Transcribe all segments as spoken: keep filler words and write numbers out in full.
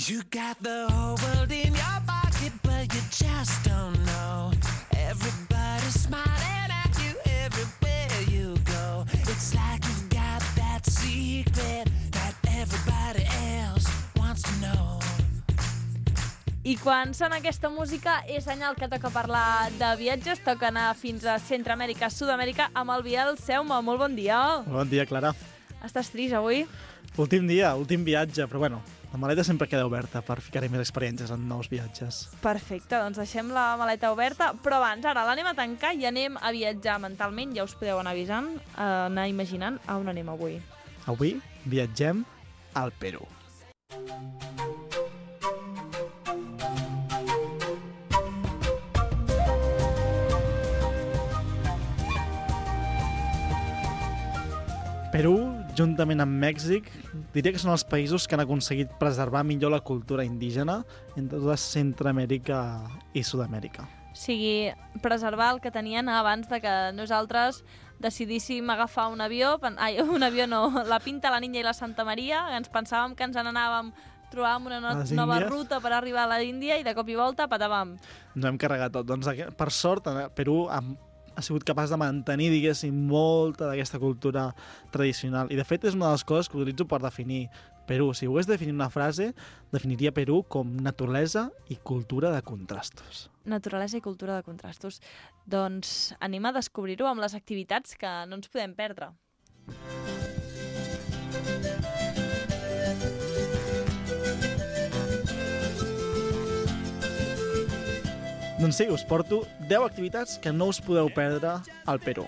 You got the whole world in your pocket, but you just don't know. Everybody's smiling at you everywhere you go. It's like you've got that secret that everybody else wants to know. I quan sona aquesta música és senyal que toca parlar de viatges, toca anar fins a Centroamèrica, Sud-amèrica, amb el Biel Seume. Molt bon dia. Bon dia, Clara. Estàs trist avui? Últim dia, últim viatge, però bueno, la maleta sempre queda oberta per ficar-hi més experiències en nous viatges. Perfecte, doncs deixem la maleta oberta, però abans, ara l'anem a tancar i anem a viatjar mentalment, ja us podeu anar avisant, anar imaginant a on anem avui. Avui viatgem al Perú. Perú, juntament amb Mèxic, diria que són els països que han aconseguit preservar millor la cultura indígena entre tota Centroamèrica i Sud-amèrica. O sigui, preservar el que tenien abans de que nosaltres decidíssim agafar un avió, ai, un avió no, la Pinta, la Niña i la Santa Maria, ens pensàvem que ens n'anàvem, trobàvem una no nova ruta per arribar a l'Índia i de cop i volta patàvem. Ens hem carregat tot. Doncs, per sort, Perú amb ha sigut capaç de mantenir, diguéssim, molta d'aquesta cultura tradicional. I, de fet, és una de les coses que utilitzo per definir Perú. Si ho hagués de definir una frase, definiria Perú com naturalesa i cultura de contrastos. Naturalesa i cultura de contrastos. Doncs anem a descobrir-ho amb les activitats que no ens podem perdre. Doncs sí, us porto deu activitats que no us podeu perdre al Perú.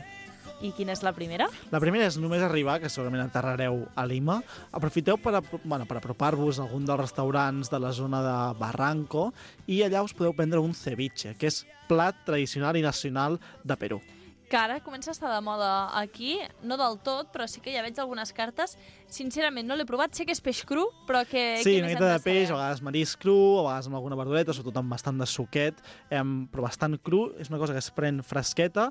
I quina és la primera? La primera és només arribar, que segurament aterrareu a Lima. Aprofiteu per, bueno, per apropar-vos a algun dels restaurants de la zona de Barranco i allà us podeu prendre un ceviche, que és plat tradicional i nacional de Perú. Que ara comença a estar de moda aquí, no del tot, però sí que ja veig algunes cartes. Sincerament, no l'he provat, sé que és peix cru, però que... Sí, una mica de peix, a vegades marisc cru, a vegades amb alguna verdureta, sobretot amb bastant de suquet, eh, però bastant cru. És una cosa que es pren fresqueta,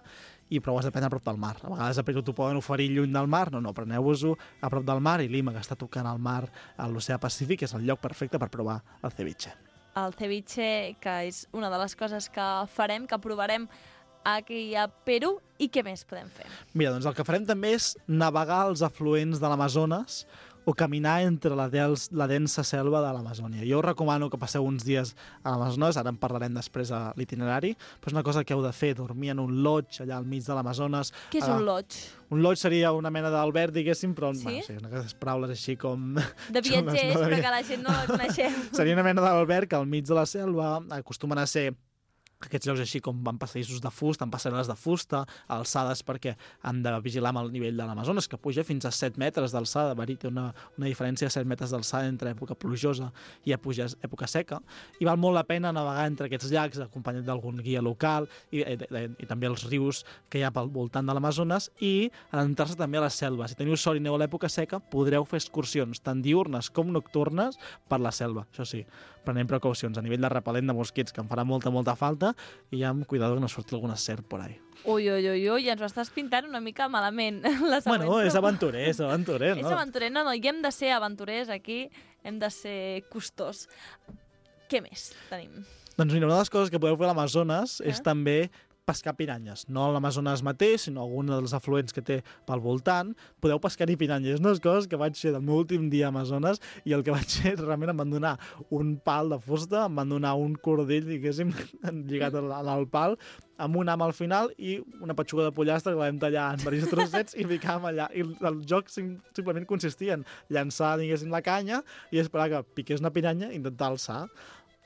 i però ho has de prendre a prop del mar. A vegades a Perú t'ho poden oferir lluny del mar, no, no, preneu-vos-ho a prop del mar, i Lima, que està tocant al mar, a l'oceà Pacífic, és el lloc perfecte per provar el ceviche. El ceviche, que és una de les coses que farem, que provarem aquí a Perú, i què més podem fer? Mira, doncs el que farem també és navegar els afluents de l'Amazones o caminar entre la, dels, la densa selva de l'Amazònia. Jo us recomano que passeu uns dies a l'Amazones, ara en parlarem després a l'itinerari, però és una cosa que heu de fer, dormir en un lodge allà al mig de l'Amazones. Què és un lodge? Un lodge seria una mena d'alberg, diguéssim, però sí? Bueno, sí, unes paraules així com... De viatgers, no, però que la gent no la coneixem. Seria una mena d'alberg al mig de la selva, acostumen a ser aquests llocs així com van passadissos de fusta, amb passarel·les de fusta, alçades perquè han de vigilar amb el nivell de l'Amazones, que puja fins a set metres d'alçada. Verí, té una, una diferència de set metres d'alçada entre època plujosa i època, època seca, i val molt la pena navegar entre aquests llacs acompanyat d'algun guia local i, i, i, i també els rius que hi ha pel voltant de l'Amazones, i adentrar-se també a la selva. Si teniu sort i aneu a l'època seca, podreu fer excursions tant diurnes com nocturnes per la selva. Això sí, prenem precaucions a nivell de repel·lent de mosquits, que em farà molta, molta falta, i ja amb cuidado que no surti alguna serp por ahí. Ui, ui, ui, ui, ens ho estàs pintant una mica malament. Bueno, és aventurer, és aventurer, no? És aventurer, no, no, i hem de ser aventurers aquí, hem de ser costós. Què més tenim? Doncs mira, una de les coses que podeu fer a l'Amazones eh? és també pescar piranyes, no a l'Amazones mateix, sinó algun dels afluents que té pel voltant, podeu pescar-hi piranyes. És una de les coses que vaig fer del meu últim dia a Amazones, i el que vaig fer realment em van donar un pal de fusta, em van donar un cordell, diguéssim, lligat al pal, amb un ham al final i una petxuga de pollastre que la vam tallar en diversos trossets i ficàvem allà. I el joc sim simplement consistia en llançar, diguéssim, la canya i esperar que piqués una piranya i intentar alçar.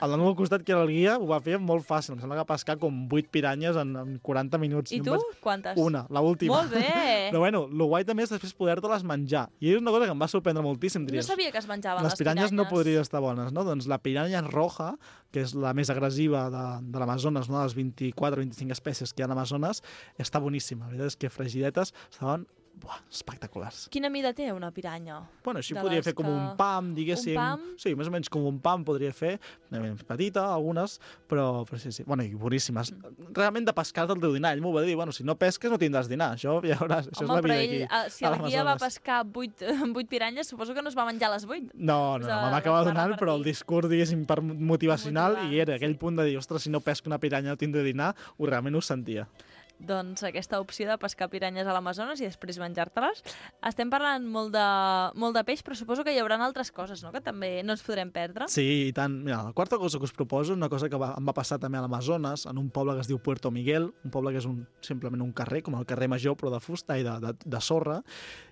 El del meu costat, que era el guia, ho va fer molt fàcil. Em sembla que va pescar com vuit piranyes en, en quaranta minuts. I tu? Vaig... Quantes? Una, l'última. Molt bé! Però bueno, el guai també és després poder-te-les menjar. I és una cosa que em va sorprendre moltíssim, diries. No sabia que es menjaven les, les piranyes. Les piranyes no podrien estar bones, no? Doncs la piranya roja, que és la més agressiva de, de l'Amazones, no? De les vint-i-quatre o vint-i-cinc espècies que hi ha a l'Amazones, està boníssima. La veritat és que fregidetes estaven buah, espectaculars. Quina mida té una piranya? Bueno, així De podria les fer com que- un pam, diguéssim. Un pam? Sí, més o menys com un pam podria fer. Una mica petita, algunes, però, però sí, sí. Bueno, i boníssimes. Realment de pescar del teu dinar. Ell m'ho va dir, bueno, si no pesques no tindràs dinar. Això ja veuràs, això Home, és la però vida ell, aquí. eh, si a el guia va l'Amazones. pescar vuit, vuit piranyes, suposo que no es va menjar les vuit. No, no, Us no, ha- m'acaba us va donant, però el repartir. discurs, diguéssim, per motivacional, Motivar, i era sí. aquell punt de dir, ostres, si no pesco una piranya no tindré dinar, ho realment ho sentia. Doncs aquesta opció de pescar piranyes a l'Amazones i després menjar-te-les. Estem parlant molt de, molt de peix, però suposo que hi haurà altres coses, no?, que també no ens podrem perdre. Sí, i tant. Mira, la quarta cosa que us proposo, una cosa que va, em va passar també a l'Amazones, en un poble que es diu Puerto Miguel, un poble que és un, simplement un carrer, com el carrer Major, però de fusta i de, de, de sorra,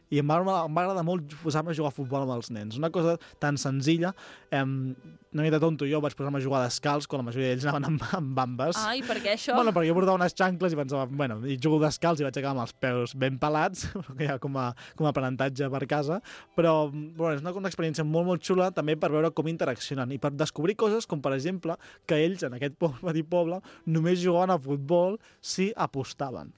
i em va, em va agradar molt posar-me a jugar a futbol amb els nens. Una cosa tan senzilla, eh, una mica tonto jo, vaig posar-me a jugar descalç, quan la majoria d'ells anaven amb, amb bambes. Ah, i per què això? Bueno, perquè jo portava unes xancles i pensava, bueno, i jugo descalç i vaig acabar amb els peus ben pelats, que hi ha com a, com a aprenentatge per casa, però bueno, és una, una experiència molt, molt xula també per veure com interaccionen i per descobrir coses com, per exemple, que ells, en aquest poble, petit poble, només jugaven a futbol si apostaven.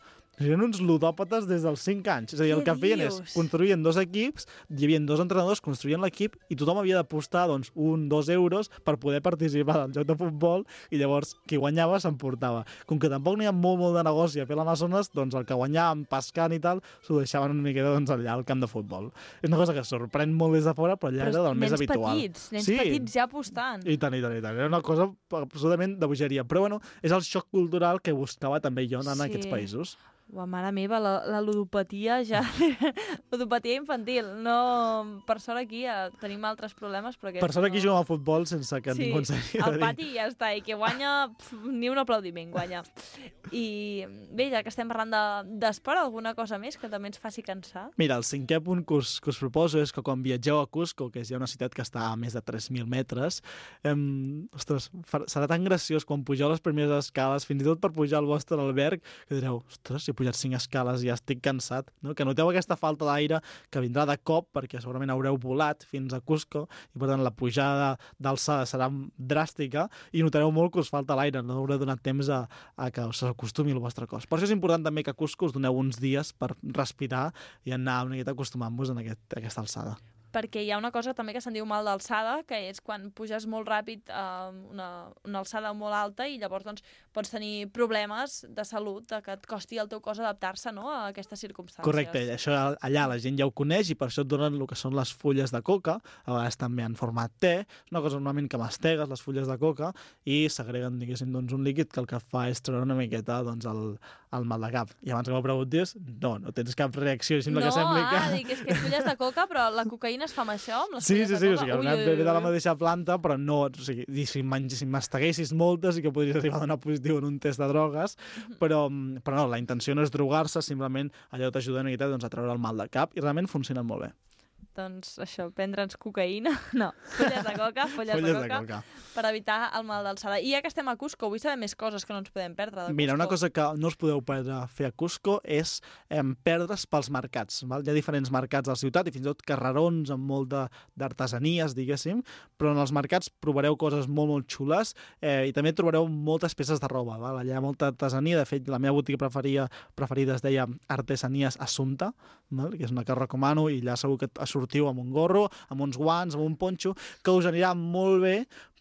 Eren uns ludòpates des dels cinc anys. És a dir, el Què que feien és dius? construïen dos equips, hi havia dos entrenadors, construïen l'equip i tothom havia d'apostar doncs, un, dos euros per poder participar del joc de futbol i llavors qui guanyava s'emportava. Com que tampoc n'hi ha molt, molt de negoci a fer l'Amazones, doncs el que guanyaven pescant i tal s'ho deixaven una miqueta doncs, allà al camp de futbol. És una cosa que sorprèn molt des de fora, però allà Però era del més nens habitual. petits, nens Sí. petits ja apostant. I tant, i tant, i tant. Era una cosa absolutament de bogeria. Però bueno, és el xoc cultural que buscava també jo anant a Sí. aquests països. Ua, mare meva, la, la ludopatia ja... ludopatia infantil. No... Per sort aquí ja tenim altres problemes, però aquest Per sort aquí no... juguem a futbol sense que Sí, ningú ens hagi de al dir. pati i ja està, i que guanya pf, ni un aplaudiment guanya. I bé, ja que estem parlant de- d'esport, de, alguna cosa més que també ens faci cansar? Mira, el cinquè punt que us, que us proposo és que quan viatgeu a Cusco, que és ja una ciutat que està a més de tres mil metres, em, ostres, fa- serà tan graciós quan pugeu les primeres escales, fins i tot per pujar al vostre alberg, que direu, ostres, si he pujat cinc escales i ja estic cansat, no? Que noteu aquesta falta d'aire que vindrà de cop, perquè segurament haureu volat fins a Cusco, i per tant la pujada d'alçada serà dràstica, i notareu molt que us falta l'aire, no haureu donat temps a, a que us acostumi el vostre cos. Per això és important també que a Cusco us doneu uns dies per respirar i anar una miqueta acostumant-vos a aquest, a aquesta alçada. Perquè hi ha una cosa també que se'n diu mal d'alçada, que és quan puges molt ràpid a una, una alçada molt alta i llavors doncs, pots tenir problemes de salut, de que et costi al teu cos adaptar-se, no?, a aquestes circumstàncies. Correcte, això allà la gent ja ho coneix i per això et donen el que són les fulles de coca, a vegades també en format te, és una cosa normalment que mastegues les fulles de coca i s'agreguen, diguéssim, doncs, un líquid que el que fa és treure una miqueta doncs, el, el mal de cap. I abans que m'ho preguntés, no, no tens cap reacció, sembla no, que sembli que... ah, dic, és que fulles de coca, però la cocaïna es fa amb això, amb les Sí, fulles sí, de sí, o coca? sigui, Ui, una ui, ve de la ui. mateixa planta, però no, o sigui, i si, menys, si masteguessis moltes i que podries arribar a donar positiu en un test de drogues, però, però no, la intenció no és drogar-se, simplement allò t'ajuda una miqueta doncs, a treure el mal de cap i realment funcionen molt bé. Doncs això, prendre'ns cocaïna, no, fulles de coca, fulles, Fulles de, de coca, coca. per evitar el mal d'alçada. I ja que estem a Cusco, vull saber més coses que no ens podem perdre de Mira, una Cusco. cosa que no us podeu perdre a fer a Cusco és eh, perdre's pels mercats. Val? Hi ha diferents mercats a la ciutat i fins i tot carrerons amb molt de- d'artesanies, diguéssim, però en els mercats provareu coses molt, molt xules eh, i també trobareu moltes peces de roba. Val? Allà hi ha molta artesania, de fet, la meva botiga preferida, preferida es deia Artesanies Assumpta, val? Que és una que recomano i allà segur que sortiu amb un gorro, amb uns guants, amb un ponxo, que us anirà molt bé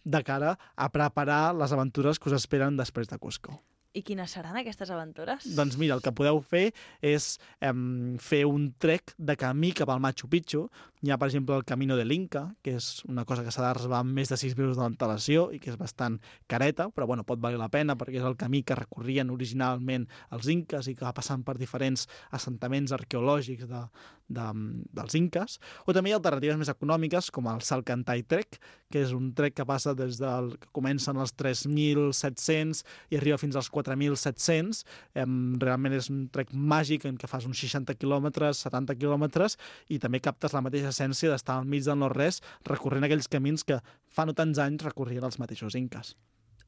de cara a preparar les aventures que us esperen després de Cusco. I quines seran aquestes aventures? Doncs mira, el que podeu fer és em, fer un trek de camí cap al Machu Picchu. Hi ha, per exemple, el Camino de l'Inca, que és una cosa que s'ha de reservar amb més de sis mesos d'antelació i que és bastant careta, però bueno, pot valer la pena perquè és el camí que recorrien originalment els inques i que va passant per diferents assentaments arqueològics de, de, dels inques. O també hi ha alternatives més econòmiques, com el Salcantay Trek, que és un trek que passa des del que comencen als tres mil set-cents i arriba fins als quatre mil set-cents. Eh, realment és un trek màgic en què fas uns seixanta quilòmetres, setanta quilòmetres i també captes la mateixa essència d'estar al mig del no-res recorrent aquells camins que fa no tants anys recorrien els mateixos inques.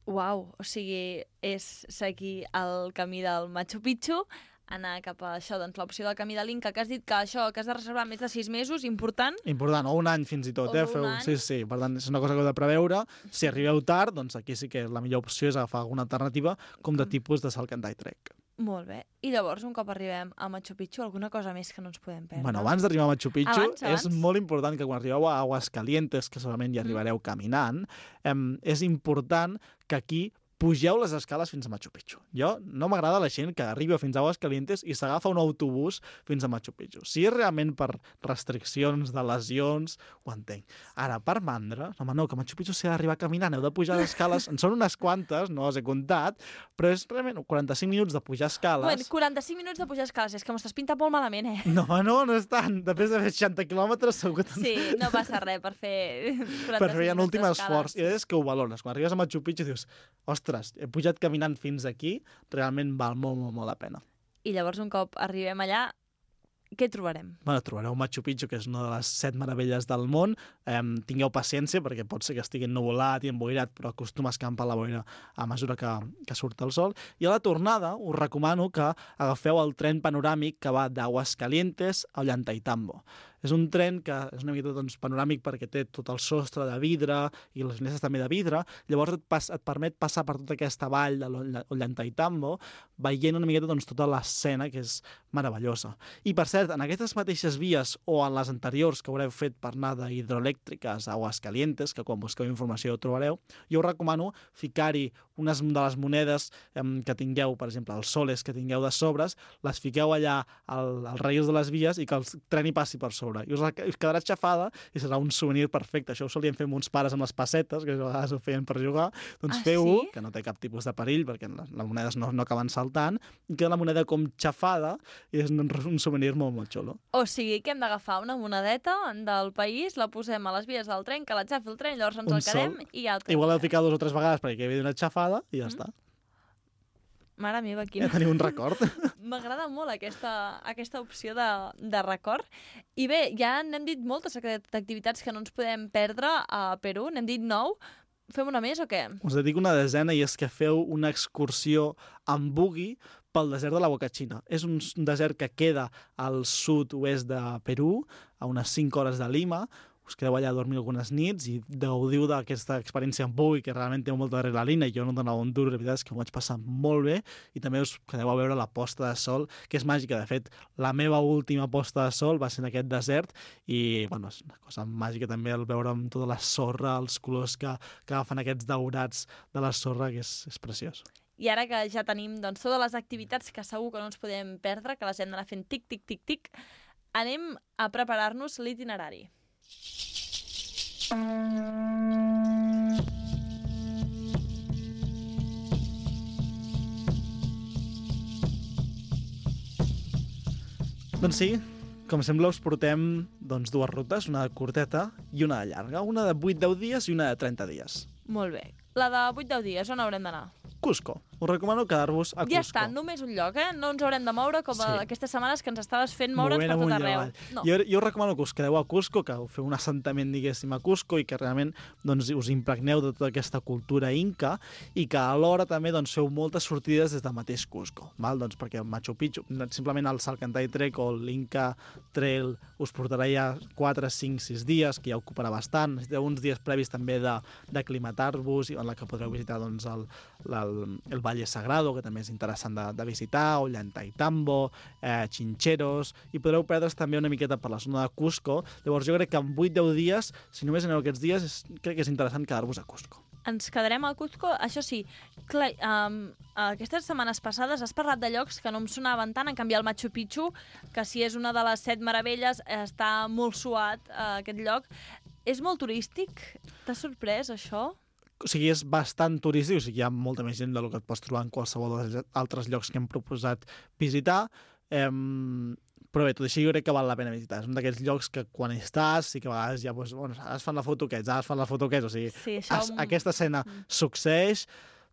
Uau, o sigui, és seguir el camí del Machu Picchu, anar cap a això, doncs l'opció del camí de l'Inca, que has dit que això, que has de reservar més de sis mesos, important. Important, o un any fins i tot, O eh? un Feu... any. Sí, sí, per tant, és una cosa que heu de preveure. Si arribeu tard, doncs aquí sí que la millor opció és agafar alguna alternativa, com de tipus de Salcantay Trek. Molt bé. I llavors, un cop arribem a Machu Picchu, alguna cosa més que no ens podem perdre? Bueno, abans d'arribar a Machu Picchu, Abans, abans. és molt important que quan arribeu a Aguascalientes, que segurament hi arribareu mm. caminant, eh, és important que aquí pugeu les escales fins a Machu Picchu. Jo no m'agrada la gent que arriba fins a Aguascalientes i s'agafa un autobús fins a Machu Picchu. Si és realment per restriccions de lesions, ho entenc. Ara, per mandra, no, home, no, que a Machu Picchu s'ha d'arribar caminant, heu de pujar les escales, en són unes quantes, no les he comptat, però és realment quaranta-cinc minuts de pujar escales. Bueno, quaranta-cinc minuts de pujar escales, és que m'ho estàs pintant molt malament, eh? No, no, no és tant. Després de fer seixanta quilòmetres segur que... Sí, no passa res per fer quaranta-cinc per fer un últim escales. esforç. I és que ho valores. Quan arribes a Machu Picchu dius, ostres, he pujat caminant fins aquí, realment val molt, molt, molt la pena. I llavors, un cop arribem allà, què trobarem? Bueno, trobareu Machu Picchu, que és una de les set meravelles del món. Eh, tingueu paciència, perquè pot ser que estigui ennuvolat i emboirat, però acostuma a escampar la boira a mesura que, que surt el sol. I a la tornada us recomano que agafeu el tren panoràmic que va d'Aguascalientes a Ollantaytambo. És un tren que és una mica doncs, panoràmic perquè té tot el sostre de vidre i les finestres també de vidre. Llavors et, pas, et permet passar per tota aquesta vall de l'Ollantaytambo veient una miqueta doncs, tota l'escena, que és meravellosa. I, per cert, en aquestes mateixes vies o en les anteriors que haureu fet per anar d'hidroelèctriques a Aguascalientes, que quan busqueu informació ho trobareu, jo us recomano ficar-hi unes de les monedes eh, que tingueu, per exemple, els soles que tingueu de sobres, les fiqueu allà al, als rails de les vies i que el tren hi passi per sobre. I us, us quedarà xafada i serà un souvenir perfecte. Això ho solien fer amb uns pares amb les pessetes, que a vegades ho feien per jugar. Doncs ah, feu-ho, sí? que no té cap tipus de perill, perquè les, les monedes no, no acaben saltant, i queda la moneda com xafada i és un, un souvenir molt, molt xulo. O sigui que hem d'agafar una monedeta del país, la posem a les vies del tren, que la xafi el tren, llavors ens Un el quedem sol. i ja el Igual heu ficat dues o tres vegades perquè quedi una xafada i ja mm. està. Mare meva, Ja quina... teniu un record. M'agrada molt aquesta, aquesta opció de, de record. I bé, ja n'hem dit moltes activitats que no ens podem perdre a Perú, n'hem dit nou. Fem una més o què? Us dedico una desena i és que feu una excursió amb buggy pel desert de la Huacachina. És un desert que queda al sud-oest de Perú, a unes cinc hores de Lima. Us quedeu allà a dormir algunes nits i gaudiu d'aquesta experiència amb buggy, que realment té molta adrenalina i jo no donava un dur, la veritat és que m'ho vaig passar molt bé, i també us quedeu a veure la posta de sol, que és màgica. De fet, la meva última posta de sol va ser en aquest desert i, bueno, és una cosa màgica també el veure amb tota la sorra, els colors que, que agafen aquests daurats de la sorra, que és, és preciós. I ara que ja tenim doncs, totes les activitats que segur que no ens podem perdre, que les hem d'anar fent tic, tic, tic, tic, anem a preparar-nos l'itinerari. Doncs sí, com sembla us portem doncs, dues rutes, una de curteta i una de llarga, una de vuit deu dies i una de trenta dies. Molt bé. La de vuit deu dies, on haurem d'anar? Cusco. Us recomano quedar-vos a Cusco. Ja està, només un lloc, eh? No ens haurem de moure com sí. aquestes setmanes que ens estaves fent moure'ns Movent per tot amunt i arreu. avall. No. Jo, jo us recomano que us quedeu a Cusco, que feu un assentament, diguéssim, a Cusco i que realment doncs, us impregneu de tota aquesta cultura inca i que alhora també doncs, feu moltes sortides des del mateix Cusco, val? Doncs perquè Machu Picchu, simplement el Salcantay Trek o l'Inca Trail us portarà ja quatre, cinc, sis dies, que ja ocuparà bastant. Necessiteu uns dies previs també d'aclimatar-vos, en la que podreu visitar doncs, el, el, el Valle Sagrado, que també és interessant de, de visitar, Ollantaytambo, eh, Chincheros, i podreu perdre's també una miqueta per la zona de Cusco. Llavors jo crec que en vuit deu dies, si només aneu aquests dies, és, crec que és interessant quedar-vos a Cusco. Ens quedarem al Cusco, això sí, clar, um, aquestes setmanes passades has parlat de llocs que no em sonaven tant, en canvi el Machu Picchu, que si és una de les set meravelles, està molt suat, uh, aquest lloc. És molt turístic? T'ha sorprès, això? O sigui, és bastant turístic, o sigui, hi ha molta més gent del que et pots trobar en qualsevol dels altres llocs que hem proposat visitar, eh, però bé, tot així jo crec que val la pena visitar. És un d'aquests llocs que quan hi estàs sí que a vegades ja, doncs, bueno, ara es fan la foto aquests, ara es fan la foto aquests, o sigui, sí, això... es, aquesta escena mm. succeeix,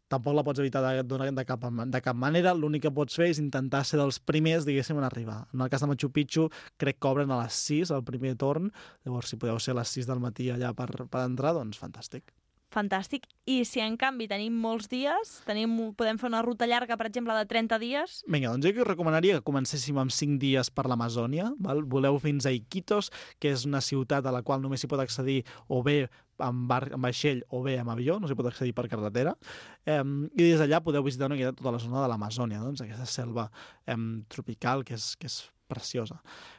tampoc la pots evitar de, de, de, cap, de cap manera. L'únic que pots fer és intentar ser dels primers, diguéssim, en arribar. En el cas de Machu Picchu, crec que obren a les sis, el primer torn, llavors si podeu ser a les sis del matí allà per, per entrar, doncs fantàstic. Fantàstic. I si en canvi tenim molts dies, tenim, podem fer una ruta llarga, per exemple, de trenta dies... Vinga, doncs jo que us recomanaria que comencéssim amb cinc dies per l'Amazònia. Voleu fins a Iquitos, que és una ciutat a la qual només s'hi pot accedir o bé amb, bar, amb vaixell o bé amb avió, no s'hi pot accedir per carretera, eh, i des d'allà podeu visitar una miqueta tota la zona de l'Amazònia, doncs, aquesta selva eh, tropical que és, que és preciosa.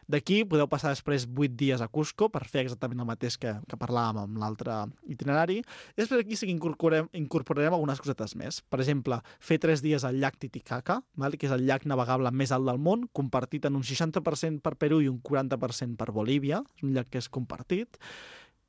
D'aquí podeu passar després vuit dies a Cusco per fer exactament el mateix que, que parlàvem amb l'altre itinerari. I després aquí sí que incorporem, incorporarem algunes cosetes més. Per exemple, fer tres dies al llac Titicaca, val? Que és el llac navegable més alt del món, compartit en un seixanta per cent per Perú i un quaranta per cent per Bolívia. És un llac que és compartit.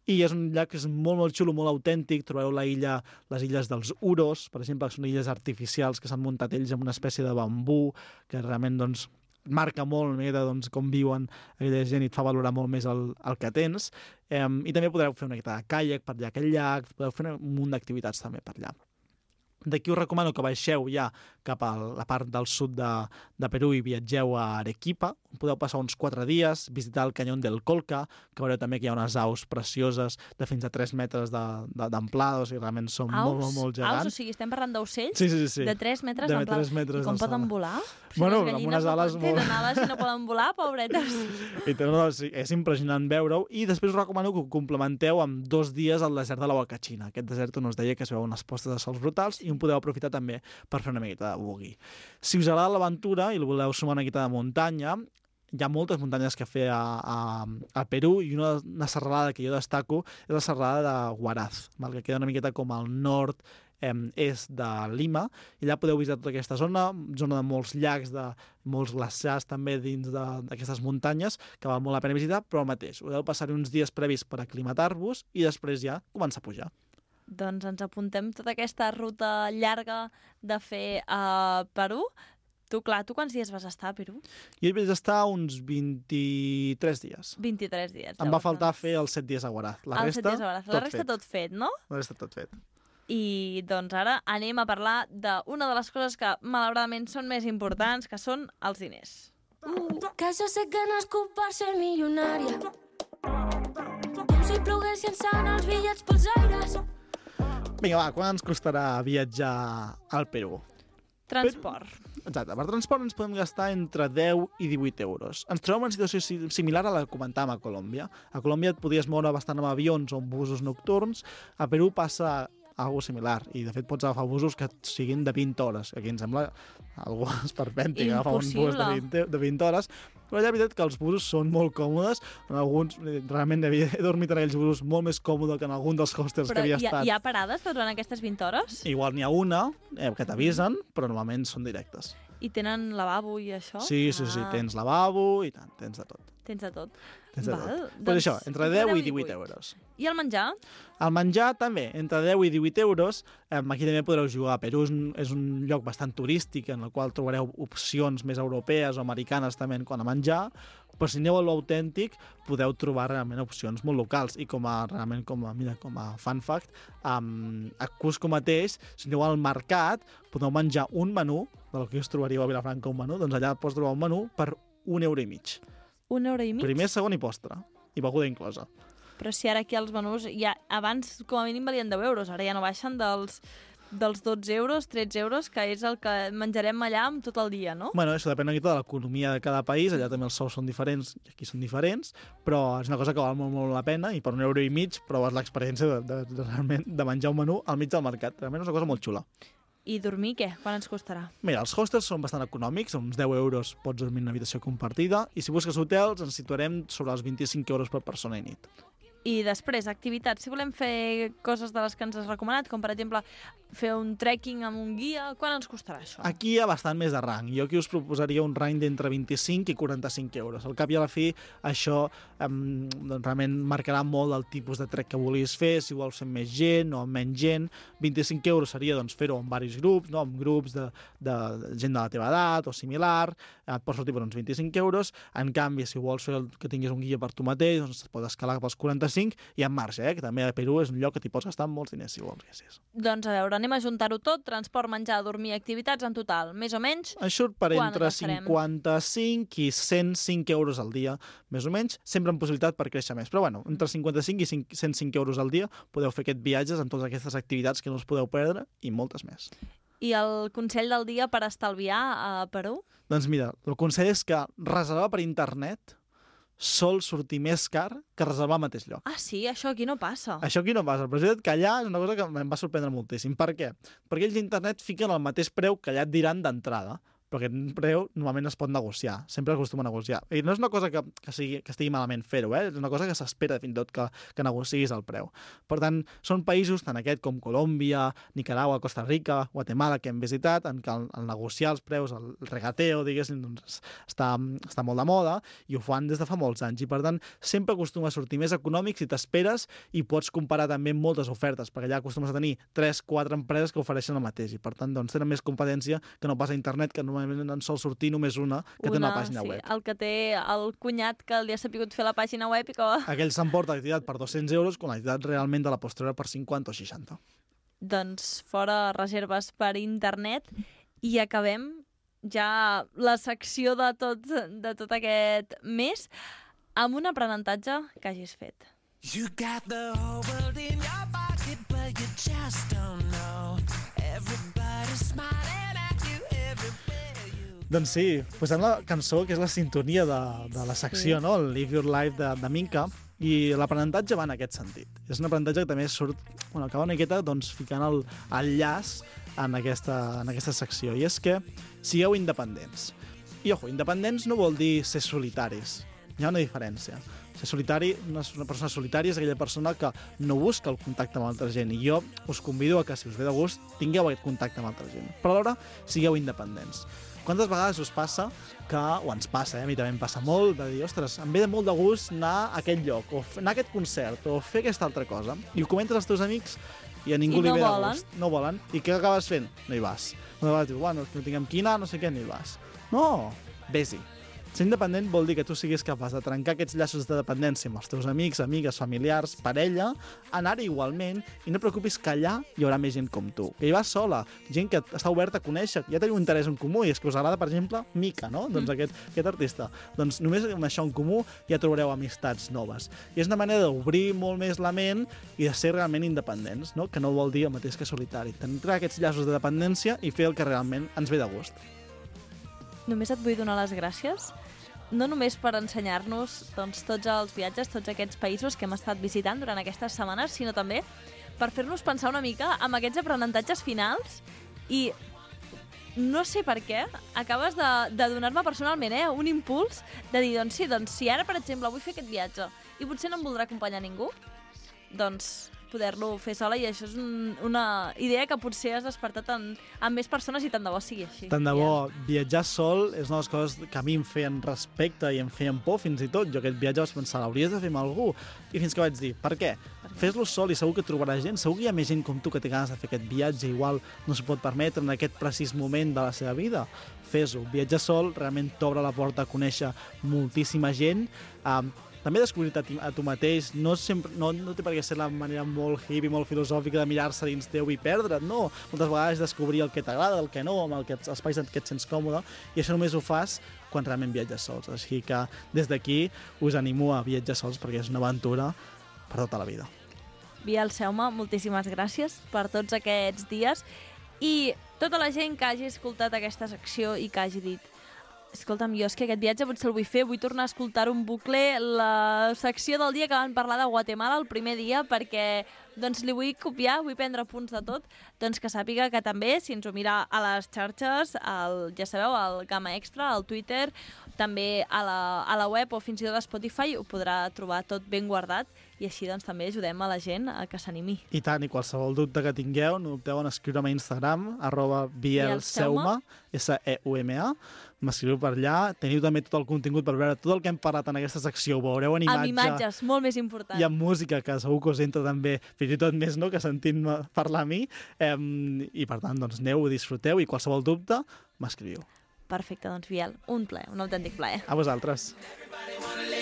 I és un llac que és molt, molt xulo, molt autèntic. Trobareu la illa, les illes dels Uros, per exemple, que són illes artificials que s'han muntat ells amb una espècie de bambú, que realment, doncs, marca molt de, doncs, com viuen aquella gent i et fa valorar molt més el, el que tens. Eh, I també podreu fer una miqueta de caiac per allà aquell llac, podeu fer un munt d'activitats també per allà. D'aquí us recomano que baixeu ja cap a la part del sud de, de Perú i viatgeu a Arequipa. Podeu passar uns quatre dies, visitar el canyón del Colca, que veureu també que hi ha unes aus precioses de fins a tres metres d'amplada, o sigui, realment són aus? molt, molt, molt gegants. Aus, o sigui, estem parlant d'ocells? Sí, sí, sí. De tres metres de d'amplada. tres metres I com d'alçada. poden volar? O sigui, Bueno, les amb gallines unes ales no molt- tenen ales i no poden volar, pobretes. I no, no, sí, és impressionant veure-ho. I després us recomano que ho complementeu amb dos dies al desert de la Huacachina, aquest desert on us deia que es veuen unes postes de sols brutals i on podeu aprofitar també per fer una miqueta de buggy. Si us agrada l'aventura i voleu sumar una miqueta de muntanya, hi ha moltes muntanyes que fer a, a, a Perú i una, una serralada que jo destaco és la serralada de Huaraz, val? Que queda una miqueta com al nord eh, est de Lima, i allà podeu visitar tota aquesta zona, zona de molts llacs, de molts glaciars també dins d'aquestes muntanyes, que val molt la pena visitar, però el mateix, heu de passar uns dies previs per aclimatar-vos i després ja començar a pujar. Doncs ens apuntem tota aquesta ruta llarga de fer a Perú. Tu, clar, tu quants dies vas estar a Perú? Jo hi vaig estar uns vint-i-tres dies. vint-i-tres dies. Em va llavors, faltar doncs. fer els set dies a Huaraz. La Els set resta, dies a Huaraz. La tot resta fet. tot fet, no? La resta tot fet. I doncs ara anem a parlar d'una de les coses que malauradament són més importants, que són els diners. Que jo sé que nascut per ser milionària. Com si plogués llançant els bitllets pels aires. Vinga, va, quan ens costarà viatjar al Perú? Transport. Exacte, per transport ens podem gastar entre deu i divuit euros. Ens trobem en una situació si- similar a la que comentàvem a Colòmbia. A Colòmbia et podies moure bastant amb avions o amb busos nocturns. A Perú passa algo similar, i de fet pots agafar busos que siguin de vint hores, que aquí em sembla algo esperpèntic, agafar un bus de Impossible. vint, de vint hores, però ja és veritat que els busos són molt còmodes, en alguns, eh, realment havia, he dormit en aquells busos molt més còmode que en algun dels hostels Però que havia hi ha, estat. hi ha parades durant aquestes vint hores? Igual n'hi ha una eh, que t'avisen, però normalment són directes. I tenen lavabo i això? Sí, sí, sí, Ah, tens lavabo i tant, tens de tot. Tens de tot. Tens de Val, tot. doncs, Pues això, entre entre deu i divuit euros. I el menjar? El menjar també, entre deu i divuit euros. Eh, aquí també podreu jugar. Perú és un, és un lloc bastant turístic en el qual trobareu opcions més europees o americanes també en quant a menjar, però si aneu a l'autèntic podeu trobar realment opcions molt locals. I com a, realment, com a, mira, com a fun fact, um, a Cusco mateix, si aneu al mercat, podeu menjar un menú, del que us trobaríeu a Vilafranca un menú, doncs allà pots trobar un menú per un euro i mig. Un euro i mig? Primer, segon i postre. I beguda inclosa. Però si ara aquí els menús, ja, abans com a mínim valien deu euros, ara ja no baixen dels, dels dotze euros, tretze euros, que és el que menjarem allà amb tot el dia, no? Bueno, això depèn una mica de l'economia de cada país, allà també els sous són diferents i aquí són diferents, però és una cosa que val molt, molt la pena i per un euro i mig proves l'experiència de, de, de, realment de menjar un menú al mig del mercat. Realment és una cosa molt xula. I dormir, què? Quan ens costarà? Mira, els hostels són bastant econòmics, uns deu euros pots dormir en una habitació compartida, i si busques hotels ens situarem sobre els vint-i-cinc euros per persona i nit. I després, activitats. Si volem fer coses de les que ens has recomanat, com per exemple fer un trekking amb un guia, quan ens costarà això? Aquí hi ha bastant més de rang. Jo aquí us proposaria un rang d'entre vint-i-cinc i quaranta-cinc euros. Al cap i a la fi, això um, doncs, realment marcarà molt el tipus de trek que volies fer, si vols fer amb més gent o amb menys gent. vint-i-cinc euros seria doncs, fer-ho amb diversos grups, no? Amb grups de, de gent de la teva edat o similar, et pot sortir per uns vint-i-cinc euros. En canvi, si vols fer el, que tinguis un guia per tu mateix, doncs es pot escalar cap als quaranta-cinc i en marxa, eh? Que també a Perú és un lloc que t'hi pots gastar molts diners, si vols. Que sí. Doncs a veure, anem a juntar-ho tot, transport, menjar, dormir, activitats en total, més o menys. Ens surt per Quan entre gastarem? cinquanta-cinc i cent cinc euros al dia, més o menys, sempre amb possibilitat per créixer més. Però bueno, entre cinquanta-cinc i cent cinc euros al dia podeu fer aquest viatges amb totes aquestes activitats que no us podeu perdre i moltes més. I el consell del dia per estalviar a Perú? Doncs mira, el consell és que reservar per internet sol sortir més car que reservar al mateix lloc. Ah, sí? Això aquí no passa. Això aquí no passa, però és que allà és una cosa que em va sorprendre moltíssim. Per què? Perquè ells d'internet fiquen el mateix preu que allà et diran d'entrada, però aquest preu normalment es pot negociar, sempre acostuma a negociar. I no és una cosa que, que, sigui, que estigui malament fer-ho, eh? És una cosa que s'espera fins i tot que, que negociïs el preu. Per tant, són països, tant aquest com Colòmbia, Nicaragua, Costa Rica, Guatemala, que hem visitat, en què el, el negociar els preus, el regateo, diguéssim, doncs, està, està molt de moda, i ho fan des de fa molts anys. I per tant, sempre acostuma a sortir més econòmic si t'esperes i pots comparar també moltes ofertes, perquè allà acostumes a tenir tres quatre empreses que ofereixen el mateix, i per tant, doncs, tenen més competència que no pas a internet, que normalment en sol sortir només una que una, té una pàgina sí, web. El que té el cunyat que li ha sapigut fer la pàgina web i que... Aquell s'emporta l'activitat per dos-cents euros quan l'activitat realment de la postura per cinquanta o seixanta. Doncs fora reserves per internet i acabem ja la secció de tot, de tot aquest mes amb un aprenentatge que hagis fet. You got the whole world in your pocket, but you just don't know. Everybody's smiling at you everywhere. Doncs sí, posem la cançó que és la sintonia de, de la secció, Sí. no? El Live Your Life de, de Minka, i l'aprenentatge va en aquest sentit. És un aprenentatge que també surt, bueno, acaba una miqueta doncs, ficant el, el llaç en aquesta, en aquesta secció, i és que sigueu independents. I, ojo, independents no vol dir ser solitaris, hi ha una diferència. Ser solitari, una, una persona solitària és aquella persona que no busca el contacte amb altra gent, i jo us convido a que, si us ve de gust, tingueu aquest contacte amb altra gent. Però alhora, sigueu independents. Quantes vegades us passa que, o ens passa, eh? A mi també em passa molt, de dir, ostres, em ve de molt de gust anar a aquest lloc, o anar a aquest concert, o fer aquesta altra cosa, i ho comentes als teus amics i a ningú I li no ve de volen. gust. No volen. I què acabes fent? No hi vas. Una vegada dius, bueno, no tinguem qui anar, no sé què, no hi vas. No, vés-hi. Ser independent vol dir que tu siguis capaç de trencar aquests llaços de dependència amb els teus amics, amigues, familiars, parella, anar-hi igualment, i no et preocupis que allà hi haurà més gent com tu, que hi vas sola, gent que està oberta a conèixer, ja teniu un interès en comú, i és que us agrada, per exemple, Mika, no? Mm. Doncs aquest, aquest artista. Doncs només amb això en comú ja trobareu amistats noves. I és una manera d'obrir molt més la ment i de ser realment independents, no? Que no vol dir el mateix que solitari. Trencar aquests llaços de dependència i fer el que realment ens ve de gust. Només et vull donar les gràcies, no només per ensenyar-nos doncs, tots els viatges, tots aquests països que hem estat visitant durant aquestes setmanes, sinó també per fer-nos pensar una mica amb aquests aprenentatges finals i no sé per què, acabes de, de donar-me personalment eh, un impuls de dir, doncs sí, doncs si ara, per exemple, vull fer aquest viatge i potser no em voldrà acompanyar ningú, doncs poder-lo fer sola, i això és un, una idea que potser has despertat en, en més persones, i tant de bo sigui així. Tant de bo, viatjar sol és una de les coses que a mi em feien respecte i em feien por fins i tot. Jo aquest viatge vaig pensar, l'hauries de fer amb algú. I fins que vaig dir, per què? Fes-lo sol i segur que trobaràs gent, segur que hi ha més gent com tu que té ganes de fer aquest viatge, igual no s'ho pot permetre en aquest precís moment de la seva vida. Fes-ho. Viatjar sol realment t'obre la porta a conèixer moltíssima gent, um, també descobrir-te a, ti, a tu mateix, no, sempre, no, no té per què ser la manera molt hippie, molt filosòfica de mirar-se dins teu i perdre't, no. Moltes vegades descobrir el que t'agrada, el que no, amb el que, els espais en què et sents còmode, i això només ho fas quan realment viatges sols. Així que des d'aquí us animo a viatjar sols perquè és una aventura per tota la vida. Biel Seume, moltíssimes gràcies per tots aquests dies, i tota la gent que hagi escoltat aquesta secció i que hagi dit, escolta'm, jo és que aquest viatge potser el vull fer, vull tornar a escoltar un bucle, la secció del dia que van parlar de Guatemala el primer dia, perquè doncs li vull copiar, vull prendre punts de tot, doncs que sàpiga que també, si ens ho mira a les xarxes, el, ja sabeu, el Gamma Extra, al Twitter, també a la, a la web o fins i tot a Spotify, ho podrà trobar tot ben guardat, i així doncs també ajudem a la gent a que s'animi. I tant, i qualsevol dubte que tingueu, no dubteu en escriure'm a Instagram, arroba bielseume, S E U M A, m'escriu per allà, teniu també tot el contingut per veure tot el que hem parlat en aquesta secció, ho veureu en imatge. Amb imatges, molt més important. I amb música, que segur que us entra també, fins i tot més, no?, que sentint-me parlar a mi, eh, i per tant, doncs aneu, disfruteu, i qualsevol dubte, m'escriviu. Perfecte, doncs Biel, un plaer, un autèntic plaer. A vosaltres. Everybody wanna live